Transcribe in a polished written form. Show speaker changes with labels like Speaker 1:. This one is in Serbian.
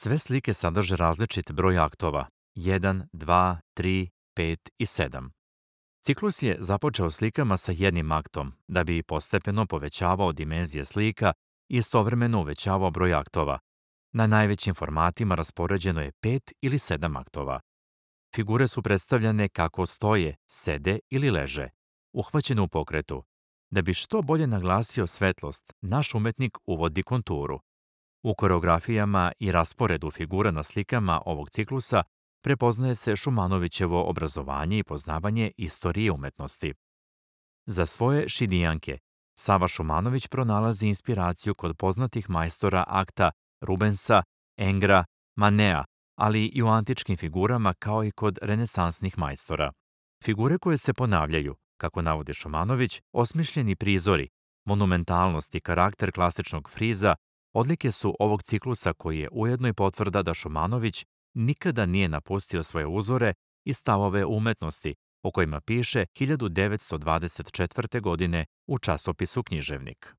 Speaker 1: Sve slike sadrže različit broj aktova, 1, 2, 3, 5 i 7. Ciklus je započeo slikama sa jednim aktom, da bi postepeno povećavao dimenzije slika i istovremeno uvećavao broj aktova. Na najvećim formatima raspoređeno je 5 ili 7 aktova. Figure su predstavljane kako stoje, sede ili leže, uhvaćene u pokretu. Da bi što bolje naglasio svetlost, naš umetnik uvodi konturu. U koreografijama i rasporedu figura na slikama ovog ciklusa prepoznaje se Šumanovićevo obrazovanje i poznavanje istorije umetnosti. Za svoje šidijanke, Sava Šumanović pronalazi inspiraciju kod poznatih majstora akta Rubensa, Engra, Manea, ali i u antičkim figurama kao i kod renesansnih majstora. Figure koje se ponavljaju, kako navodi Šumanović, osmišljeni prizori, monumentalnost i karakter klasičnog friza odlike su ovog ciklusa koji je ujedno i potvrda da Šumanović nikada nije napustio svoje uzore i stavove umetnosti, o kojima piše 1924. godine u časopisu Književnik.